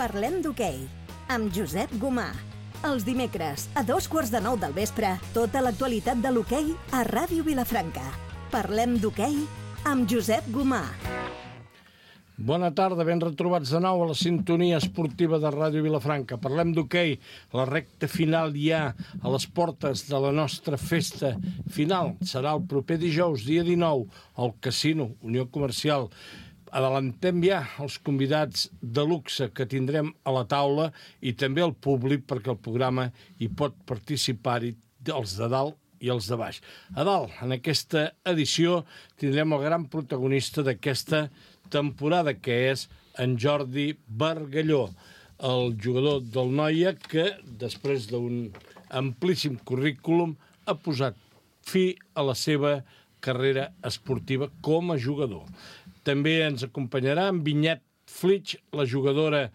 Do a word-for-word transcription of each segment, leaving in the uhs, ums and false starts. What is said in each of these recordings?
Parlem d'hoquei, amb Josep Gomà. Els dimecres, a dos quarts de nou del vespre, tota l'actualitat de l'hoquei a Ràdio Vilafranca. Parlem d'hoquei amb Josep Gomà. Bona tarda, ben retrobats de nou a la sintonia esportiva de Ràdio Vilafranca. Parlem d'hoquei, la recta final ja a les portes de la nostra festa final. Serà el proper dijous, dia dinou, al Casino Unió Comercial. Adelantem ja els convidats de luxe que tindrem a la taula i també el públic, perquè el programa hi pot participar-hi els de dalt i els de baix. A dalt, en aquesta edició, tindrem el gran protagonista d'aquesta temporada, que és en Jordi Bargalló, el jugador del Noia que, després d'un amplíssim currículum, ha posat fi a la seva carrera esportiva com a jugador. També ens acompanyarà en Vinyet Flitsch, la jugadora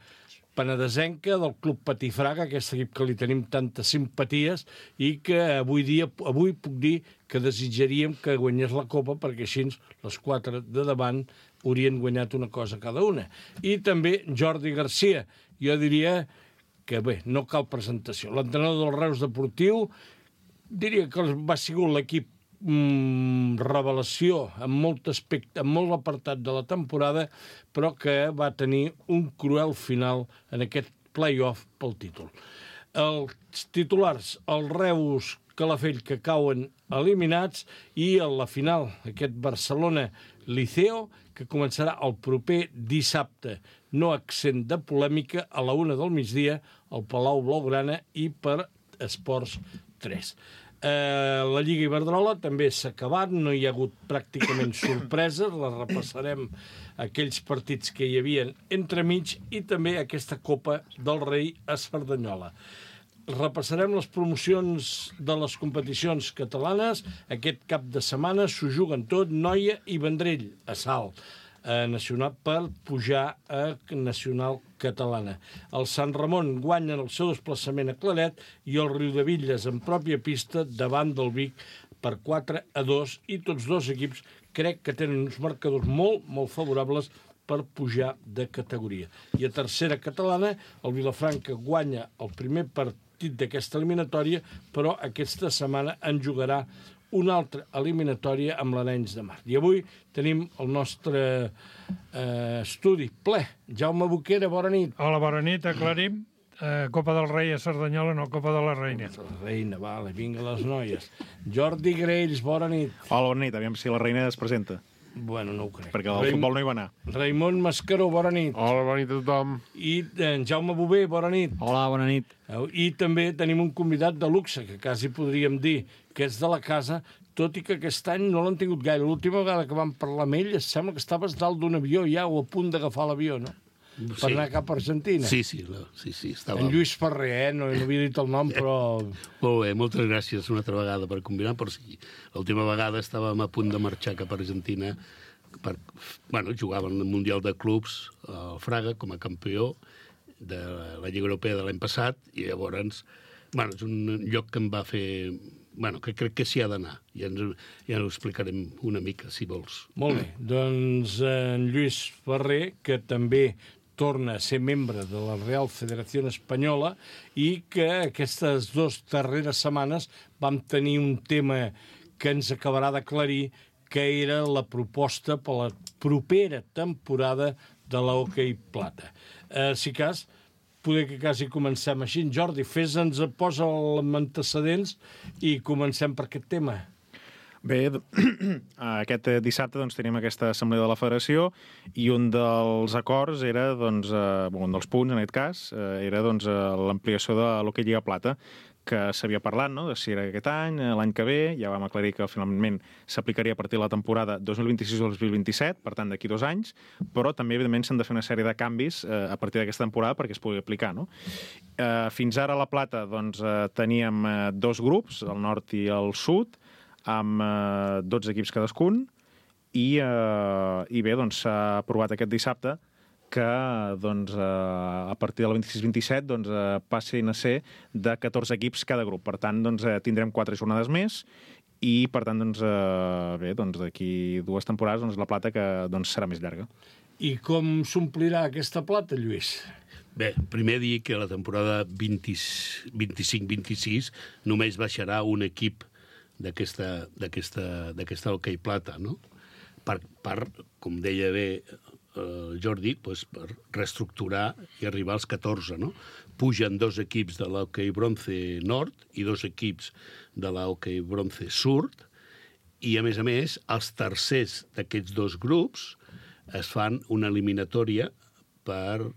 penedesenca del Club Patifraga, aquest equip que li tenim tantes simpaties i que avui dia avui puc dir que desitjaríem que guanyés la Copa, perquè així les quatre de davant haurien guanyat una cosa cada una. I també Jordi Garcia. Jo diria que, bé, no cal presentació. L'entrenador del Reus Deportiu, diria que va ser l'equip Mm, revelació en molt aspecte, en molt apartat de la temporada, però que va tenir un cruel final en aquest play-off pel títol. Els titulars, el Reus Calafell, que cauen eliminats, i a la final, aquest Barcelona-Liceo, que començarà el proper dissabte, no accent de polèmica, a la una del migdia, al Palau Blaugrana i per Esports tres. Eh, la Lliga Iberdrola també s'ha acabat, no hi ha hagut pràcticament sorpreses, la repassarem aquells partits que hi havia entremig i també aquesta Copa del Rei a Cerdanyola. Repassarem les promocions de les competicions catalanes. Aquest cap de setmana s'ho juguen tot Noia i Vendrell a Salt eh, nacional per pujar a Nacional Catalana. El Sant Ramon guanyen el seu desplaçament a Claret i el Riudebitlles en pròpia pista davant del Vic per quatre a dos, i tots dos equips crec que tenen uns marcadors molt, molt favorables per pujar de categoria. I a tercera catalana, el Vilafranca guanya el primer partit d'aquesta eliminatòria, però aquesta setmana en jugarà una altra eliminatòria amb l'Arenys de Mar. I avui tenim el nostre eh, estudi ple. Jaume Boquera, bona nit. Hola, bona nit, aclarim. Eh, Copa del Rei a Cerdanyola, no Copa de la Reina. La Reina, vale, vinga les noies. Jordi Grells, bona nit. Hola, bona nit, aviam si la Reina es presenta. Bueno, no ho crec. Perquè el Raim... futbol no hi va anar. Raimon Mascaró, bona nit. Hola, bona nit a tothom. I en Jaume Bové, bona nit. Hola, bona nit. I també tenim un convidat de luxe, que quasi podríem dir que és de la casa, tot i que aquest any no l'han tingut gaire. L'última vegada que vam parlar amb ell, em sembla que estaves dalt d'un avió ja, o a punt d'agafar l'avió, no? Sí. Per anar cap a Argentina. Sí, sí, no, sí, sí. Estava... En Lluís Ferrer, eh? No, no havia dit el nom, però... Molt bé, moltes gràcies una altra vegada per combinar, però sí, l'última vegada estàvem a punt de marxar cap a Argentina per, bueno, jugaven el Mundial de Clubs al Fraga com a campió de la Lliga Europea de l'any passat, i llavors, bueno, és un lloc que em va fer... Bueno, que crec que s'hi ha d'anar. Ja, ens, ja ho explicarem una mica, si vols. Molt bé. Doncs en Lluís Ferrer, que també torna a ser membre de la Real Federació Espanyola i que aquestes dues darreres setmanes vam tenir un tema que ens acabarà d'aclarir, que era la proposta per la propera temporada de l'hoquei plata. Eh, si cas, poder que quasi comencem així. Jordi, fes-nos, posa els antecedents i comencem per aquest tema. Bé, aquest dissabte doncs, tenim aquesta assemblea de la federació i un dels acords era, doncs, eh, un dels punts, en aquest cas, eh, era doncs, l'ampliació de l'hoquei Lliga Plata, que s'havia parlat, no?, de si era aquest any, l'any que ve. Ja vam aclarir que finalment s'aplicaria a partir de la temporada dos mil vint-i-sis o dos mil vint-i-set, per tant, d'aquí dos anys, però també, evidentment, s'han de fer una sèrie de canvis eh, a partir d'aquesta temporada perquè es pugui aplicar, no? Eh, fins ara a la Plata, doncs, eh, teníem eh, dos grups, el nord i el sud, amb eh, dotze equips cadascun, i, eh, i bé, doncs, s'ha aprovat aquest dissabte que doncs, eh, a partir del vint-i-sis vint-i-set doncs, eh, passin a ser de catorze equips cada grup. Per tant, doncs, eh, tindrem quatre jornades més i, per tant, doncs, eh, bé, doncs, d'aquí dues temporades doncs, la plata que doncs, serà més llarga. I com s'omplirà aquesta plata, Lluís? Bé, primer dir que la temporada vint-i-cinc vint-i-sis només baixarà un equip d'aquesta hoquei plata, no? Per, per, com deia bé el Jordi, doncs per reestructurar i arribar als catorze, no? Pugen dos equips de l'hoquei bronze nord i dos equips de l'hoquei bronze sud, i, a més a més, els tercers d'aquests dos grups es fan una eliminatòria per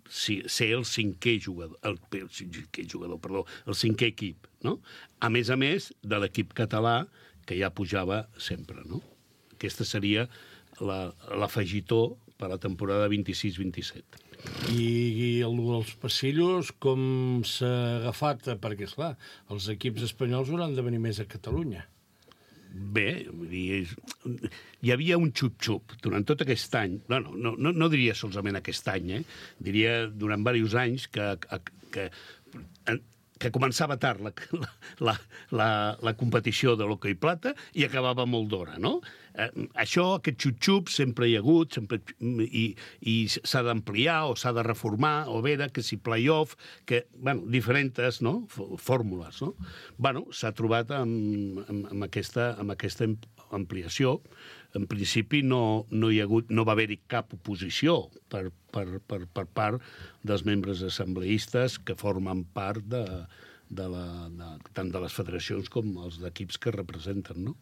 ser el cinquè jugador, el, el cinquè jugador, perdó, el cinquè equip, no? A més a més de l'equip català, que ja pujava sempre, no? Aquesta seria l'afegitó per a la temporada vint-i-sis vint-i-set. I, i el dels passillos, com s'ha agafat? Perquè, esclar, els equips espanyols hauran de venir més a Catalunya. Bé, vull dir, hi havia un xup-xup durant tot aquest any, bueno, no, no, no diria solament aquest any, eh? Diria durant diversos anys que, que, que començava tard la, la, la, la competició de l'hoquei plata i acabava molt d'hora, no? Eh, això, aquest xup-xup, sempre hi ha hagut, sempre, i, i s'ha d'ampliar o s'ha de reformar, o veure que si play-off, que, bueno, diferents, no?, fórmules, no? Bueno, s'ha trobat amb, amb, amb, aquesta, amb aquesta ampliació. En principi no, no, hi ha hagut, no va haver-hi cap oposició per, per, per, per part dels membres assembleistes que formen part de, de la, de, tant de les federacions com els equips que representen, no?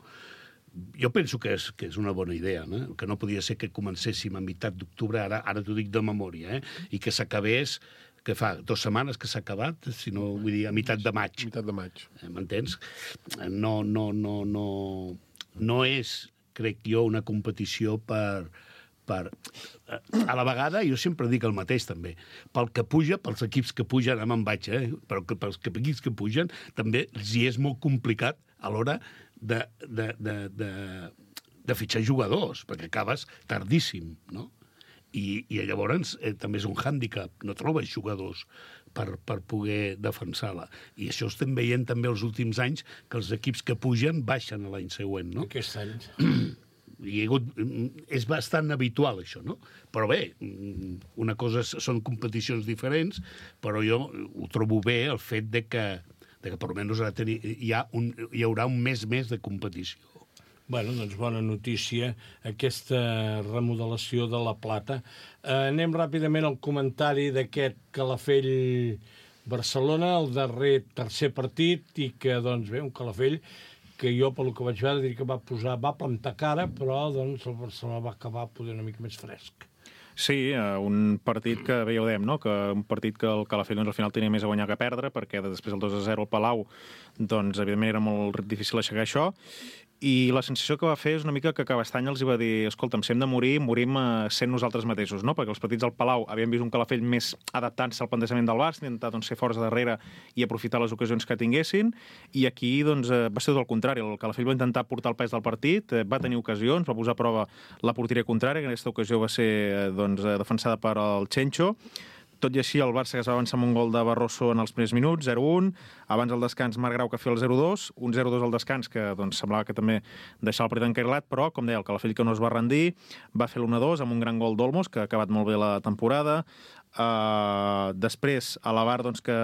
Jo penso que és, que és una bona idea, no? Que no podia ser que comencéssim a meitat d'octubre, ara, ara t'ho dic de memòria, eh? I que s'acabés, que fa dues setmanes que s'ha acabat, si no, vull dir, a meitat de maig. A meitat de maig. Eh, m'entens? No, no, no, no, no és, crec jo, una competició per... per a la vegada, jo sempre dic el mateix, també. Pel que puja, pels equips que pugen, ara me'n vaig, eh? Però que pels equips que pugen, també els hi és molt complicat a l'hora de, de, de, de, de fitxar jugadors, perquè acabes tardíssim, no? I, i llavors eh, també és un hàndicap, no trobes jugadors per, per poder defensar-la. I això estem veient també els últims anys, que els equips que pugen baixen l'any següent, no? Aquest any. Hi ha hagut, és bastant habitual, això, no? Però bé, una cosa són competicions diferents, però jo ho trobo bé el fet de que, de que per almenys hi, ha un, hi haurà un mes més de competició. Bueno, doncs bona notícia, aquesta remodelació de la Plata. Eh, anem ràpidament al comentari d'aquest Calafell-Barcelona, el darrer tercer partit, i que, doncs bé, un Calafell que jo, pel que vaig veure, diria que va posar, va plantar cara, però doncs el Barcelona va acabar poder una mica més fresc. Sí, un partit que, bé, ja ho dèiem, no? Que un partit que el Calafell doncs, al final tenia més a guanyar que a perdre, perquè després el dos a zero al Palau, doncs, evidentment, era molt difícil aixecar això, i la sensació que va fer és una mica que Cabestany els va dir, escolta'm, si hem de morir, morim sent nosaltres mateixos, no? Perquè els partits al Palau havien vist un Calafell més adaptant-se al plantejament del Barça, intentar doncs, ser forts darrere i aprofitar les ocasions que tinguessin, i aquí doncs, va ser tot el contrari. El Calafell va intentar portar el pes del partit, va tenir ocasions, va posar a prova la porteria contrària, que en aquesta ocasió va ser doncs, defensada per el Chencho. Tot i així, el Barça que es va avançar amb un gol de Barroso en els primers minuts, zero a un. Abans del descans, Marc Grau que feia el zero a dos. Un zero a dos al descans, que doncs, semblava que també deixava el partit encarrilat, però, com deia, el Calafell que no es va rendir, va fer l'u a dos amb un gran gol d'Olmos, que ha acabat molt bé la temporada. Uh, després, a la Bar, doncs, que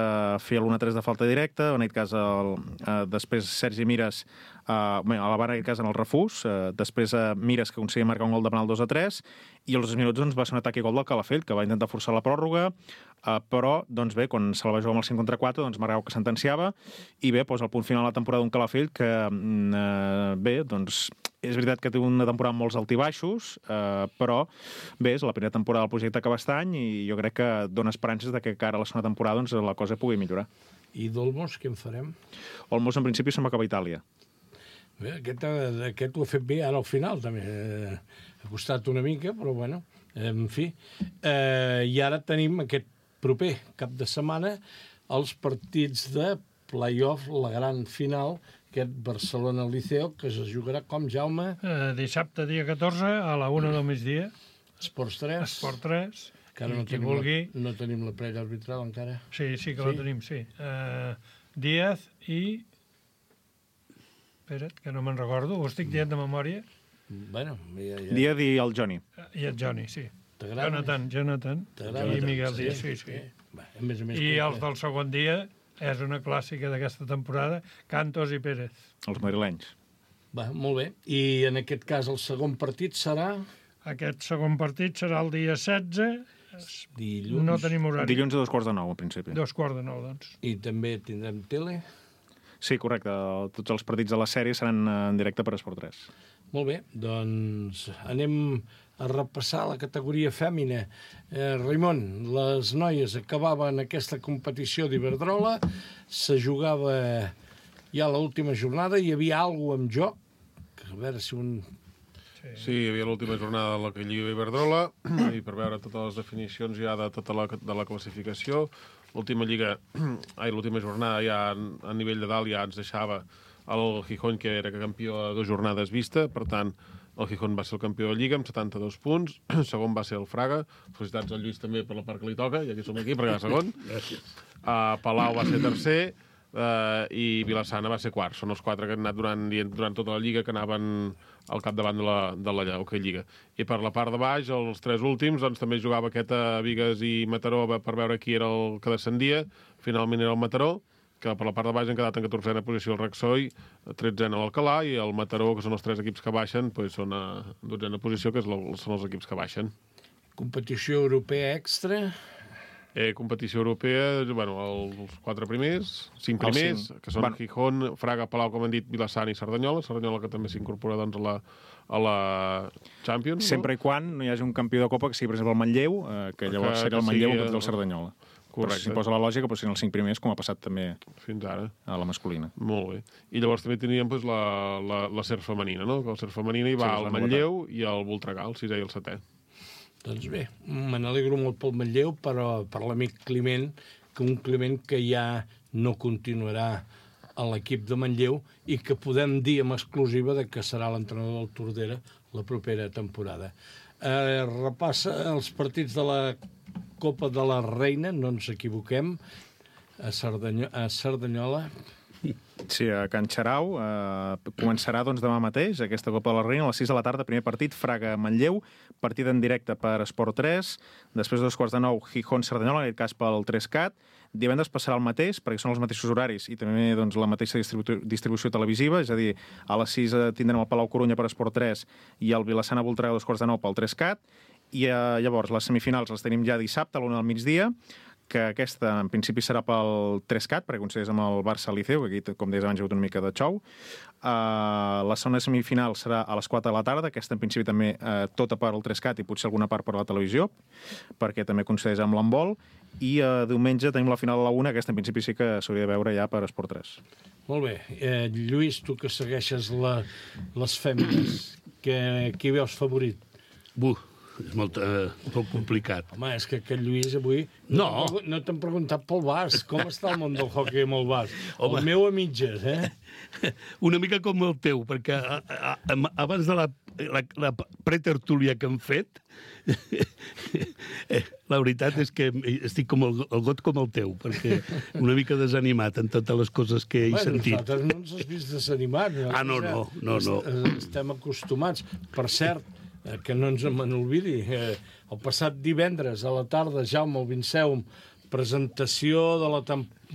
feia l'u a tres de falta directa. En aquest cas, el, uh, després Sergi Mires, uh, bé, a la Bar, en aquest cas, en el refús. Uh, després, uh, Mires, que aconseguia marcar un gol de penal dos a tres. I als dos minuts doncs, va ser un atac i gol del Calafell, que va intentar forçar la pròrroga, uh, però, doncs bé, quan se la va jugar amb el cinc contra quatre, doncs Marc Grau que sentenciava, i bé, posa el punt final a la temporada d'un Calafell que, uh, bé, doncs, és veritat que té una temporada amb molts altibaixos, uh, però, bé, és la primera temporada del projecte Cabestany i jo crec que dona esperances de que cara a la segona temporada doncs, la cosa pugui millorar. I d'Olmos, què en farem? Olmos, en principi, se'n va acabar a Itàlia. Bé, aquest, aquest ho ha fet bé ara al final, també. Eh, ha costat una mica, però bueno, en fi. Eh, I ara tenim aquest proper cap de setmana els partits de play-off, la gran final, aquest Barcelona-Liceo, que es jugarà com, Jaume? Eh, dissabte, dia catorze, a la una del migdia. Esports tres. Esport tres. Encara no, tenim vulgui... la, no tenim la prèvia arbitral, encara. Sí, sí que sí? la tenim, sí. Uh, Díaz i... Espera't, que no me'n recordo, ho estic dient de memòria. Bueno, ja, ja. Díaz i el Johnny. I el Johnny, sí. T'agrada? Jonathan, Jonathan. I Miguel Díaz, sí, sí. Va, a més a més, I com els que- del segon dia és una clàssica d'aquesta temporada, Cantos i Pérez. Els madrilenys. Va, molt bé. I en aquest cas el segon partit serà Aquest segon partit serà el dia setze. dilluns. No tenim horari. Dilluns a dos quarts de nou, en principi. Dos quarts de nou, doncs. I també tindrem tele. Sí, correcte. Tots els partits de la sèrie seran en directe per Esport tres. Molt bé, doncs anem a repassar la categoria fèmina. Eh, Raimon, les noies acabaven aquesta competició d'Iberdrola, se jugava ja l'última jornada, hi havia alguna cosa en joc, a veure si un... Sí, hi havia l'última jornada de la Lliga Iberdrola i per veure totes les definicions ja de tota la, de la classificació. L'última lliga, ai, l'última jornada ja a nivell de dalt ja ens deixava el Gijón, que era campió a dues jornades vista, per tant, el Gijón va ser el campió de Lliga amb setanta-dos punts, segon va ser el Fraga, felicitats al Lluís també per la part que li toca, i aquí som aquí perquè va segon. Gràcies. Uh, Palau va ser tercer, uh, i Vilassana va ser quart. Són els quatre que han anat durant, durant tota la Lliga, que anaven al capdavant de la, de la okay, Lliga. I per la part de baix, els tres últims, doncs també jugava aquest a Bigues i Mataró per veure qui era el que descendia. Finalment era el Mataró, que per la part de baix han quedat en catorzena posició el Rexoi, tretzena l'Alcalà, i el Mataró, que són els tres equips que baixen, doncs són a dotzena posició, que és la, són els equips que baixen. Competició europea extra. Eh, competició europea, bueno, els quatre primers, cinc primers, cinc. que són Bueno. Gijón, Fraga, Palau, com hem dit, Vilassana i Cerdanyola. Cerdanyola que també s'incorpora doncs, a, la, a la Champions. Sempre i quan no hi hagi un campió de Copa, que sigui, per exemple, el Manlleu, eh, que llavors Que- seria el que Manlleu sigui contra el el- Cerdanyola. Correcte. S'imposa la lògica, però siguin els cinc primers, com ha passat també No? Fins ara. a la masculina. Molt bé. I llavors també teníem doncs, la, la, la SER femenina, no? Que el SER femenina hi va Sí, és el la Manlleu i el Voltregà, el sisè i el setè. Doncs bé, me n'alegro molt pel Manlleu, però per l'amic Climent, que un Climent que ja no continuarà a l'equip de Manlleu i que podem dir amb exclusiva de que serà l'entrenador del Tordera la propera temporada. Eh, repassa els partits de la Copa de la Reina, no ens equivoquem, a, Cerdanyo a Cerdanyola. Sí, a Can Xarau eh, començarà doncs, demà mateix aquesta Copa de la Reina a les sis de la tarda, primer partit Fraga-Manlleu, partit en directe per Esport tres, després de dos quarts de nou Gijón-Cerdanyola, en aquest cas pel tres cat. Divendres passarà el mateix, perquè són els mateixos horaris i també doncs, la mateixa distribu distribució televisiva, és a dir, a les sis tindrem el Palau Corunya per Esport tres i el Vilassana Voltregà a dos quarts de nou pel tres cat, i eh, llavors les semifinals les tenim ja dissabte a l'una del migdia, que aquesta en principi serà pel tres cat, perquè coincideix amb el Barça-Liceu, que aquí, com deies abans, hi ha hagut una mica de xou. Uh, la segona semifinal serà a les quatre de la tarda, aquesta en principi també uh, tota per al tres cat i potser alguna part per la televisió, perquè també coincideix amb l'handbol, i uh, diumenge tenim la final a la una, aquesta en principi sí que s'hauria de veure ja per Esport tres. Molt bé. Eh, Lluís, tu que segueixes la, les fèmines, que, qui veus favorit? Buh, és molt, eh, molt complicat. Home, és que aquest Lluís avui... No. No, no t'han preguntat pel basc. Com està el món del hoquei amb el basc? Home. El meu a mitges, eh? Una mica com el teu, perquè a, a, a, abans de la, la, la pretertúlia que hem fet, eh, la veritat és que estic com el, el got com el teu, perquè una mica desanimat en totes les coses que he Bueno, sentit. nosaltres no ens has vist desanimats. Ah, no, no, no, no. Estem acostumats. Per cert, eh, que no ens me n'olvidi, eh, el passat divendres a la tarda, Jaume, el Vinceum, presentació de la,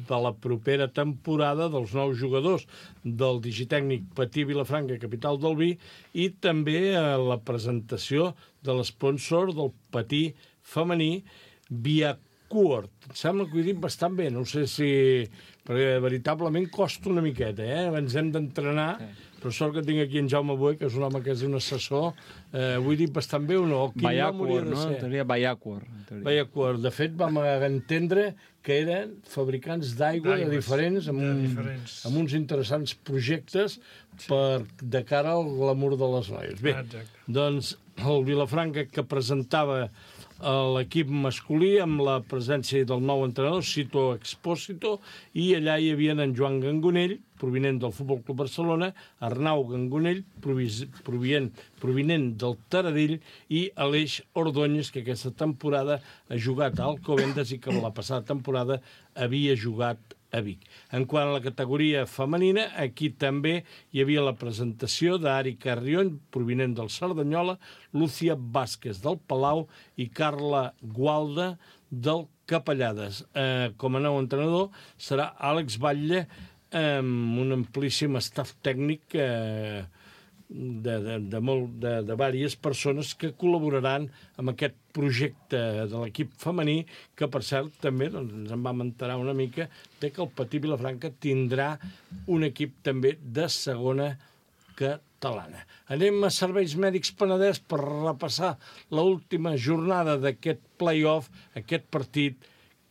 de la propera temporada dels nous jugadors del digitècnic Patí Vilafranca, capital del vi, i també eh, la presentació de l'esponsor del Patí femení, Viacuort. Em sembla que ho he dit bastant bé, no sé si... perquè veritablement costa una miqueta, eh? Ens hem d'entrenar, però sort que tinc aquí en Jaume Boé, que és un home que és un assessor. Eh, ho he dit bastant bé o no? Quin nom hauria Bayacuor, de no? ser? En teoria Bayacuor. Bayacuor. De fet, vam entendre que eren fabricants d'aigua de D'aigües, diferents, amb, de un, diferents. amb uns interessants projectes per, de cara al glamour de les noies. Bé, Exacte. doncs el Vilafranca que presentava l'equip masculí amb la presència del nou entrenador, Cito Expósito, i allà hi havia en Joan Gangonell, provinent del Futbol Club Barcelona, Arnau Gangonell, provinent, provinent del Taradell, i Aleix Ordóñez, que aquesta temporada ha jugat a Alcobendas i que la passada temporada havia jugat a Vic. En quant a la categoria femenina, aquí també hi havia la presentació d'Ari Carrion, provinent del Cerdanyola, Lúcia Vázquez del Palau i Carla Gualda del Capellades. Eh, com a nou entrenador serà Àlex Batlle, amb un amplíssim staff tècnic eh, de, de, de, molt, de, de diverses persones que col·laboraran amb aquest projecte de l'equip femení, que, per cert, també doncs, ens en vam enterar una mica de que el Patí Vilafranca tindrà un equip també de segona catalana. Anem a Serveis Mèdics Penedès per repassar l'última jornada d'aquest play-off, aquest partit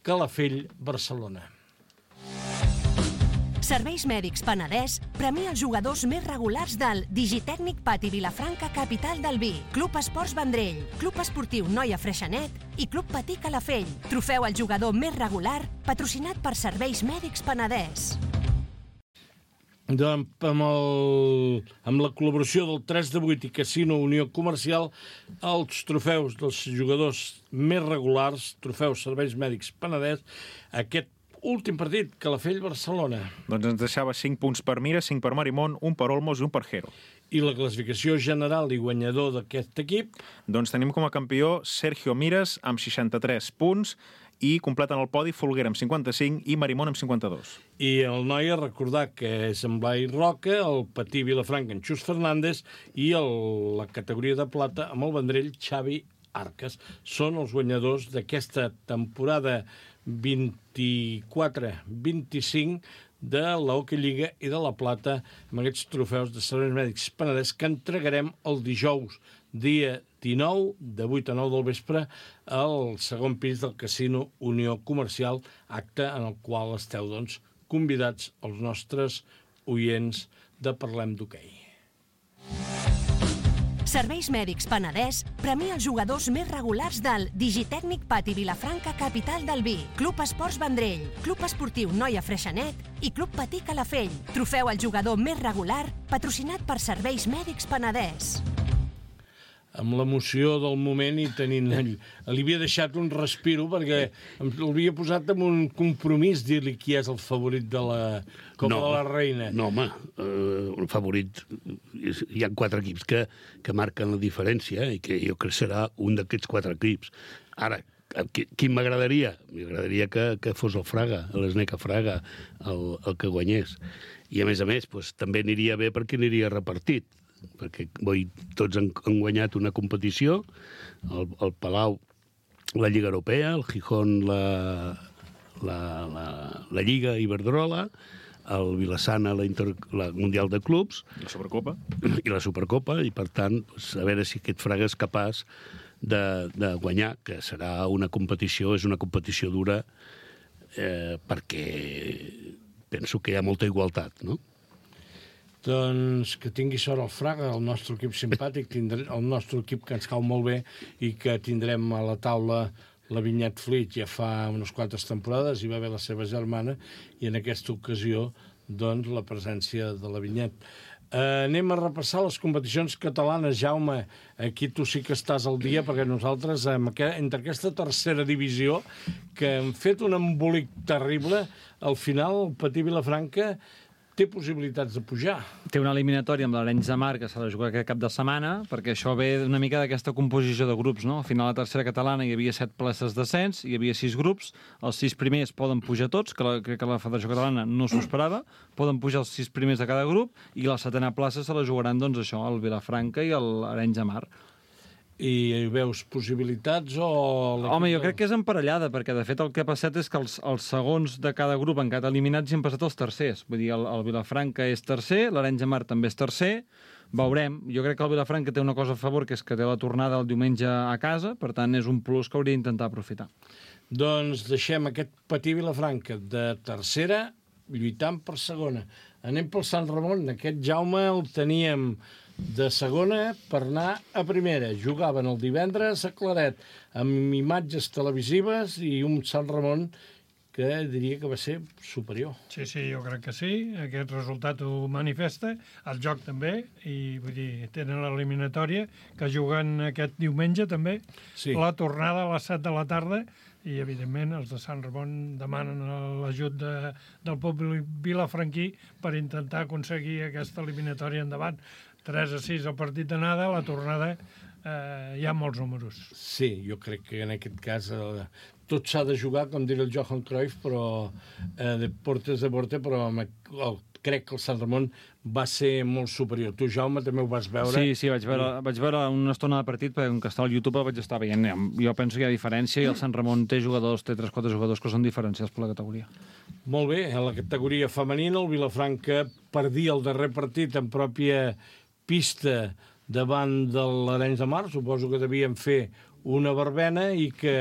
Calafell-Barcelona. Serveis Mèdics Penedès premia els jugadors més regulars del Digitècnic Pati Vilafranca Capital del Vi, Club Esports Vendrell, Club Esportiu Noia Freixenet i Club Patí Calafell. Trofeu al jugador més regular, patrocinat per Serveis Mèdics Penedès. Doncs, amb, el, amb la col·laboració del tres de vuit i Casino Unió Comercial, els trofeus dels jugadors més regulars, trofeus Serveis Mèdics Penedès, aquest últim partit, Calafell-Barcelona. Doncs ens deixava cinc punts per Mira, cinc per Marimón, un per Olmos i un per Jero. I la classificació general i guanyador d'aquest equip? Doncs tenim com a campió Sergio Mires amb seixanta-tres punts i completen el podi Folguera amb cinquanta-cinc i Marimón amb cinquanta-dos. I el Noia, recordar que és en Blai Roca, el Patí Vilafranca en Xus Fernández i el, la categoria de plata amb el Vendrell Xavi Arcas. Són els guanyadors d'aquesta temporada vint-i-quatre vint-i-cinc de l'Hockey Lliga i de la Plata amb aquests trofeus de Serveis Mèdics Penedès que entregarem el dijous, dia dinou, de vuit a nou del vespre, al segon pis del Casino Unió Comercial, acte en el qual esteu, doncs, convidats els nostres oients de Parlem d'Hoquei. Serveis Mèdics Penedès premia els jugadors més regulars del Digitècnic Pati Vilafranca Capital del Vi, Club Esports Vendrell, Club Esportiu Noia Freixenet i Club Patí Calafell. Trofeu al jugador més regular, patrocinat per Serveis Mèdics Penedès. Amb l'emoció del moment i tenint ell. Li havia deixat un respiro perquè l'havia posat en un compromís dir-li qui és el favorit de la Copa no, de la Reina. No, home, eh, un favorit... Hi ha quatre equips que, que marquen la diferència i que jo crec que serà un d'aquests quatre equips. Ara, quin m'agradaria? M'agradaria que, que fos el Fraga, l'Sneca Fraga, el, el que guanyés. I, a més a més, doncs, també aniria bé perquè aniria repartit, perquè boi, tots han, han guanyat una competició, el, el Palau la Lliga Europea, el Gijón la, la, la, la Lliga Iberdrola, el Vilassana la, Inter, la Mundial de Clubs, la Supercopa i la Supercopa, i per tant, doncs, a veure si aquest Fraga és capaç de, de guanyar, que serà una competició, és una competició dura, eh, perquè penso que hi ha molta igualtat, no? Doncs que tingui sort el Fraga, el nostre equip simpàtic, tindre, el nostre equip que ens cau molt bé i que tindrem a la taula la Vinyet Fleet. Ja fa unes quantes temporades hi va haver la seva germana i en aquesta ocasió doncs, la presència de la Vinyet. Eh, anem a repassar les competicions catalanes. Jaume, aquí tu sí que estàs al dia perquè nosaltres, entre aquesta tercera divisió, que hem fet un embolic terrible, al final el Patí Vilafranca té possibilitats de pujar. Té una eliminatòria amb l'Arenys de Mar que s'ha de jugar aquest cap de setmana, perquè això ve una mica d'aquesta composició de grups, no? Al final, a la tercera catalana hi havia set places d'ascens, hi havia sis grups, els sis primers poden pujar tots, que la, crec que la Federació Catalana no s'ho esperava, poden pujar els sis primers de cada grup, i la setena plaça se la jugaran, doncs, això, el Vilafranca i l'Arenys de Mar. I hi veus possibilitats o... Home, jo crec que és emparellada, perquè de fet el que ha passat és que els, els segons de cada grup han quedat eliminats i han passat els tercers. Vull dir, el, el Vilafranca és tercer, l'Arenys de Mar també és tercer, veurem. Jo crec que el Vilafranca té una cosa a favor, que és que té la tornada el diumenge a casa, per tant és un plus que hauria d'intentar aprofitar. Doncs deixem aquest Patí Vilafranca de tercera lluitant per segona. Anem pel Sant Ramon. Aquest Jaume el teníem de segona per anar a primera. Jugaven el divendres a Claret amb imatges televisives i un Sant Ramon que diria que va ser superior. Sí, sí, jo crec que sí. Aquest resultat ho manifesta. El joc també. I vull dir, tenen l'eliminatòria que juguen aquest diumenge també. Sí. La tornada a les set de la tarda i, evidentment, els de Sant Ramon demanen l'ajut de, del públic vilafranquí per intentar aconseguir aquesta eliminatòria endavant. tres a sis el partit d'anada, la tornada eh, hi ha molts números. Sí, jo crec que en aquest cas eh, tot s'ha de jugar, com diria el Johan Cruyff, però eh, de portes de porte, però amb, el, crec que el Sant Ramon va ser molt superior. Tu, Jaume, també ho vas veure? Sí, sí, vaig veure, vaig veure una estona de partit, perquè com que estava al YouTube el vaig estar veient. Jo penso que hi ha diferència i el Sant Ramon té jugadors, té tres o quatre jugadors que són diferenciats per la categoria. Molt bé, en la categoria femenina el Vilafranca perdia el darrer partit en pròpia pista davant de l'Arenys de Mar. Suposo que devien fer una verbena i que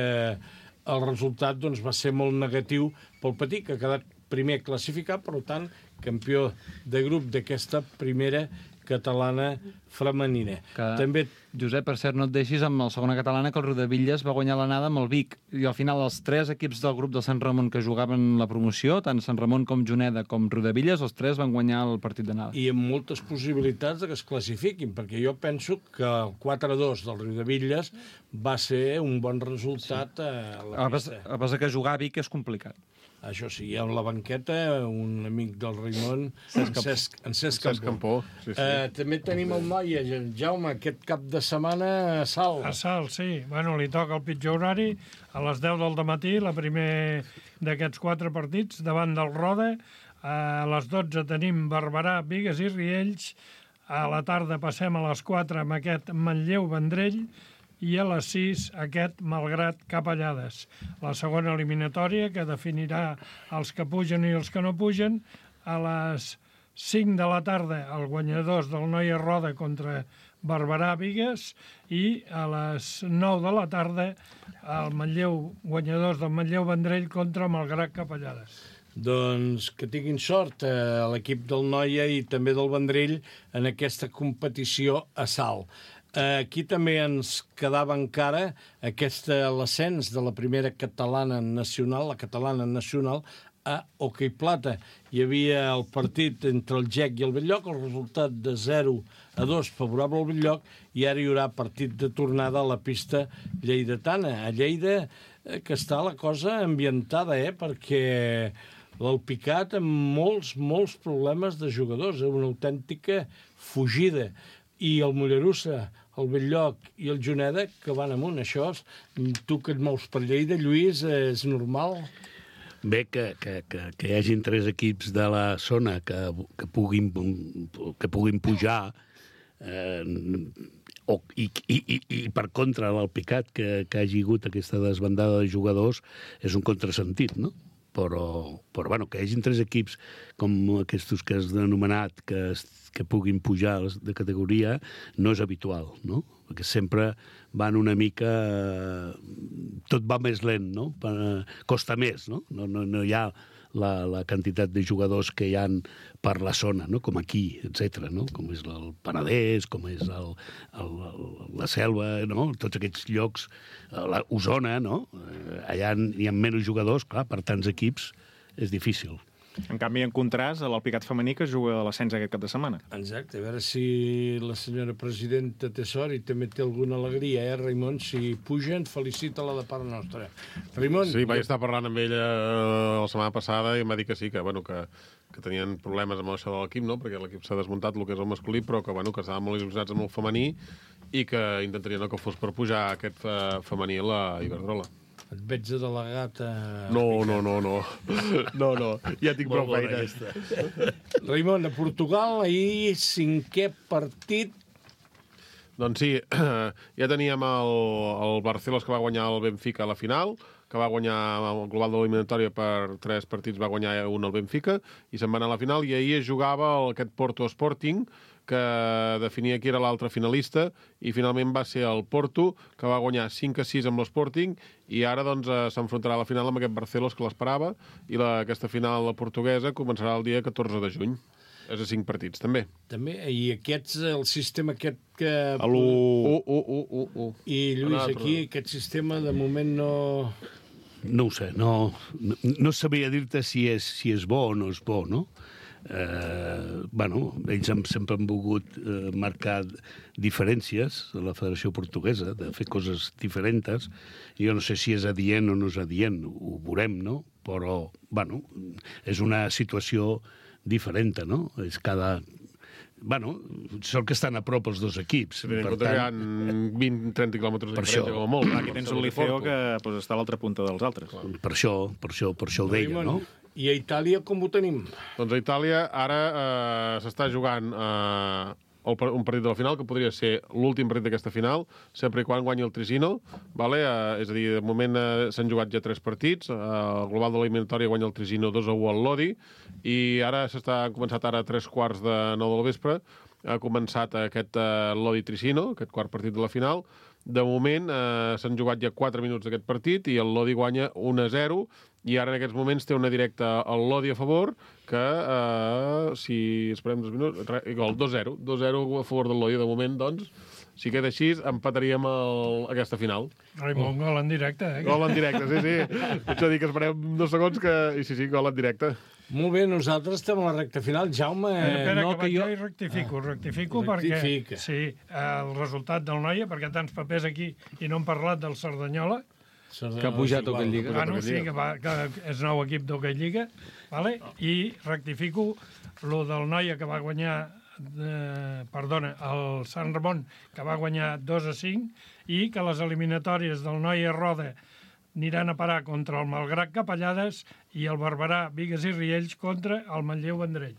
el resultat doncs, va ser molt negatiu pel Petit, que ha quedat primer classificat, per tant, campió de grup d'aquesta primera catalana femenina. Que, També... Josep, per cert, no et deixis amb la segona catalana, que el Riudebitlles va guanyar l'anada amb el Vic. I al final els tres equips del grup del Sant Ramon que jugaven la promoció, tant Sant Ramon com Juneda com Riudebitlles, els tres van guanyar el partit d'anada. I amb moltes possibilitats de que es classifiquin, perquè jo penso que el quatre a dos del Riudebitlles va ser un bon resultat sí. a la pista. A pesar que jugar a Vic és complicat. Això sí, hi ha a la banqueta un amic del Raimon, en Cesc, en Cesc Campó. Campó. Sí, sí. Uh, també tenim el Noia, Jaume, aquest cap de setmana a Salt. A Salt, sí. Bueno, li toca el pitjor horari, a les deu del dematí, la primer d'aquests quatre partits, davant del Roda. A les dotze tenim Barberà, Bigues i Riells. A la tarda passem a les quatre amb aquest Manlleu-Vendrell. I a les sis aquest Malgrat Capellades. La segona eliminatòria, que definirà els que pugen i els que no pugen. A les cinc de la tarda, el guanyadors del Noia Roda contra Barberà-Bigues, i a les nou de la tarda, el Manlleu, guanyadors del Manlleu-Vendrell contra Malgrat Capellades. Doncs que tinguin sort a l'equip del Noia i també del Vendrell en aquesta competició a Salt. Aquí també ens quedava encara aquesta l'ascens de la primera catalana nacional, la catalana nacional, a Hoquei Plata. Hi havia el partit entre el Gec i el Bell-lloc, el resultat de zero a dos favorable al Bell-lloc, i ara hi haurà partit de tornada a la pista lleidatana. A Lleida, que està la cosa ambientada, eh? Perquè l'Alpicat amb molts, molts problemes de jugadors, eh? Una autèntica fugida. I el Mollerussa, el Bell-lloc i el Juneda, que van amunt. Això, tu que et mous per Lleida, Lluís, és normal? Bé, que, que, que, que hi hagin tres equips de la zona que, que, puguin, que puguin pujar, eh, o, i, i, i, i per contra l'Alpicat, que, que hagi hagut aquesta desbandada de jugadors, és un contrasentit, no? Però, però bueno, que hi hagin tres equips com aquests que has anomenat que, que puguin pujar de categoria no és habitual, no? Perquè sempre van una mica... Tot va més lent, no? Costa més, no? No, no, no hi ha la, la quantitat de jugadors que hi ha per la zona, no? Com aquí, etcètera, no? Com és el Penedès, com és el, el, el, la Selva, no? Tots aquests llocs, la Osona, no? Allà hi ha menys jugadors, clar, per tants equips és difícil. En canvi, en contrast, l'Alpicat femení que juga a l'ascens aquest cap de setmana. Exacte, a veure si la senyora presidenta té sort i també té alguna alegria, eh, Raimon? Si pugen, felicita-la de part nostra. Raimon... Sí, vaig estar parlant amb ella la setmana passada i em va dir que sí, que, bueno, que, que tenien problemes amb això de l'equip, no? Perquè l'equip s'ha desmuntat el que és el masculí, però que, bueno, que estaven molt il·lusionats amb el femení i que intentarien no que fos per pujar aquest femení a la Iberdrola. Et veig de delegat a... No, no, no, no. No, no. Ja tinc prou feina. Raimon, a Portugal, ahir cinquè partit. Doncs sí, ja teníem el, el Barcelos que va guanyar el Benfica a la final, que va guanyar el global de l'eliminatòria per tres partits, va guanyar un al Benfica, i se'n va anar a la final, i ahir es jugava el, aquest Porto Sporting, que definia qui era l'altre finalista, i finalment va ser el Porto, que va guanyar cinc a sis amb l'Sporting, i ara doncs, s'enfrontarà a la final amb aquest Barcelos que l'esperava, i la, aquesta final portuguesa començarà el dia catorze de juny. És a cinc partits, també. També, i aquests, el sistema aquest que... A l'u, u, u, u, u, u. I, Lluís, aquí aquest sistema de moment no... No ho sé, no, no, no sabria dir-te si és, si és bo o no és bo, no? Eh, bueno, ells han, sempre han volgut eh, marcar diferències a la Federació Portuguesa, de fer coses diferents. Jo no sé si és adient o no és adient, ho veurem, no? Però, bueno, és una situació diferent, no? És cada... Bueno, són que estan a prop els dos equips. Sí, per tant, hi ha vint a trenta quilòmetres de diferència, com a molt. Aquí tens el Liceo que pues, està a l'altra punta dels altres. Per això, per això, per això ho deia, no? I a Itàlia com ho tenim? Doncs a Itàlia ara eh, s'està jugant eh, el, un partit de la final, que podria ser l'últim partit d'aquesta final, sempre i quan guanyi el Trisino. Vale? Eh, és a dir, de moment eh, s'han jugat ja tres partits. Eh, el global de l'eliminatòria guanya el Trisino dos a u al Lodi. I ara s'està han començat ara a tres quarts de nou del vespre. Ha començat aquest eh, Lodi-Trisino, aquest quart partit de la final. De moment eh, s'han jugat ja quatre minuts d'aquest partit i el Lodi guanya un a zero i ara en aquests moments té una directa al Lodi a favor que, eh, si esperem dos minuts, gol, dos a zero. dos a zero a favor del Lodi. De moment, doncs, si queda així, empataríem el, aquesta final. Raimon, gol en directe, eh? Gol en directe, sí, sí. Vaig a dir que esperem dos segons que... I sí, sí, gol en directe. Molt bé, nosaltres estem a la recta final. Jaume... Espera, espera no, que, que jo... jo... i rectifico, ah, rectifico rectifica. perquè... Sí, el resultat del Noia, perquè tants papers aquí i no hem parlat del Cerdanyola, que ha pujat a Lliga. Ah, no, sí, que, va, que és nou equip d'Hockey Lliga, vale? I rectifico lo del Noia que va guanyar, eh, perdona, el Sant Ramon, que va guanyar dos a cinc, i que les eliminatòries del Noia Roda aniran a parar contra el Malgrat Capellades i el Barberà Bigues i Riells contra el Manlleu Vendrell.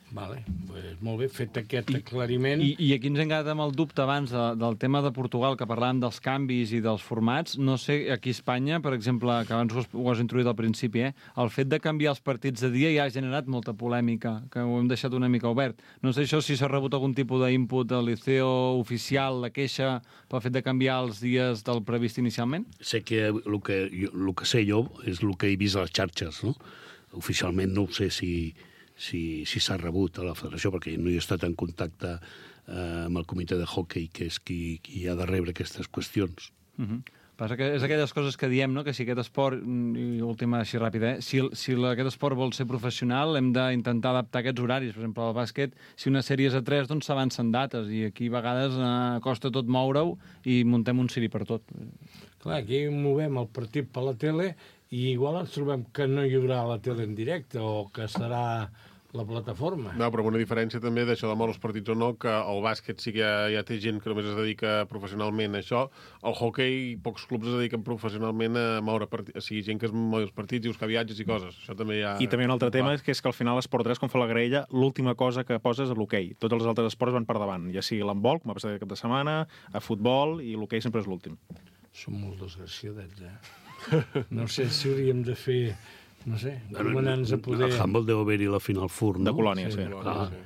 Vale, pues molt bé, fet aquest aclariment. I, i aquí ens hem quedat amb el dubte abans de, del tema de Portugal, que parlàvem dels canvis i dels formats. No sé, aquí a Espanya, per exemple, que abans ho has, ho has introduït al principi, eh? El fet de canviar els partits de dia ja ha generat molta polèmica, que ho hem deixat una mica obert. No sé això si s'ha rebut algun tipus d'input del Liceo oficial, la queixa, pel fet de canviar els dies del previst inicialment? Sé que el que, jo, el que sé jo és el que he vist a les xarxes, no? Oficialment no ho sé si... si si s'ha rebut a la federació, perquè no he estat en contacte eh, amb el comitè de hockey, que és qui, qui ha de rebre aquestes qüestions. Uh -huh. Passa que és aquelles coses que diem, no?, que si aquest esport, i última així ràpida, eh? si, si aquest esport vol ser professional, hem d'intentar adaptar aquests horaris. Per exemple, al bàsquet, si una sèrie és a tres, doncs s'avancen dates, i aquí a vegades eh, costa tot moure-ho i muntem un ciri per tot. Clar, aquí movem el partit per la tele i igual ens trobem que no hi haurà la tele en directe o que serà la plataforma. No, però amb una diferència també d'això de moure els partits o no, que el bàsquet sí que ja, ja té gent que només es dedica professionalment a això. El hockey, pocs clubs es dediquen professionalment a moure partits, o sigui, gent que es mou els partits i buscar viatges i coses. Això també ja... I també un altre tema és que és que al final l'esport tres, com fa la graella, l'última cosa que poses és l'hoquei. Tots els altres esports van per davant, ja sigui l'handbol, com ha passat aquest cap de setmana, a futbol, i l'hoquei sempre és l'últim. Som molt desgraciadets, eh? No sé si hauríem de fer... No sé, anomenant-nos a poder... El handball deu haver-hi la final F U R, no? De Colònia, sí. sí. Ah. sí.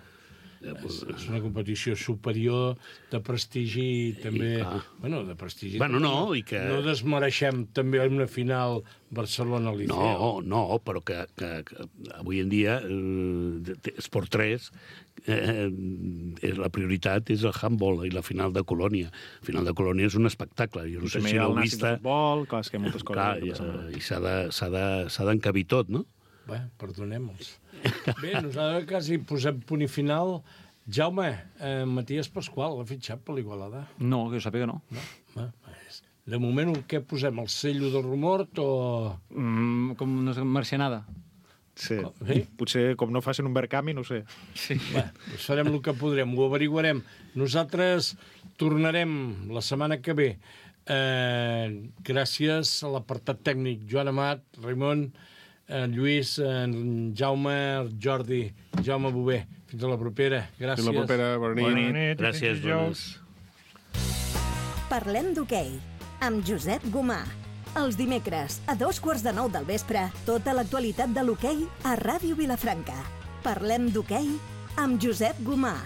És, és una competició superior de prestigi també... I, bueno, de prestigi... Bueno, no, i que... No desmereixem també una final Barcelona-Liceo. No, no, però que, que, que avui en dia eh, Esport tres eh, la prioritat és el handball i la final de Colònia. La final de Colònia és un espectacle. Jo no sé si l'heu vist. També hi ha el futbol, clar, és que hi ha moltes coses. Clar, i, i s'ha d'encabir tot, no? Bé, perdonem-los. Bé, nosaltres quasi posem punt i final. Jaume, eh, Matías Pasqual l'ha fitxat per l'Igualada? No, que jo sàpiga no. No? Bé, de moment, què posem? El cello del rumor o...? Mm, com una marcianada. Sí. sí. Potser, com no facin un Berkami, no ho sé. Sí. Bé, doncs farem el que podrem, ho averiguarem. Nosaltres tornarem la setmana que ve. Eh, gràcies a l'apartat tècnic Joan Amat, Raimon, en Lluís, en Jaume, Jordi, Jaume Bové. Fins a la propera. Gràcies. Fins a la propera. Bona nit. Bona nit. Gràcies, bones. Parlem d'hoquei amb Josep Gomà. Els dimecres, a dos quarts de nou del vespre, tota l'actualitat de l'hoquei a Ràdio Vilafranca. Parlem d'hoquei amb Josep Gomà.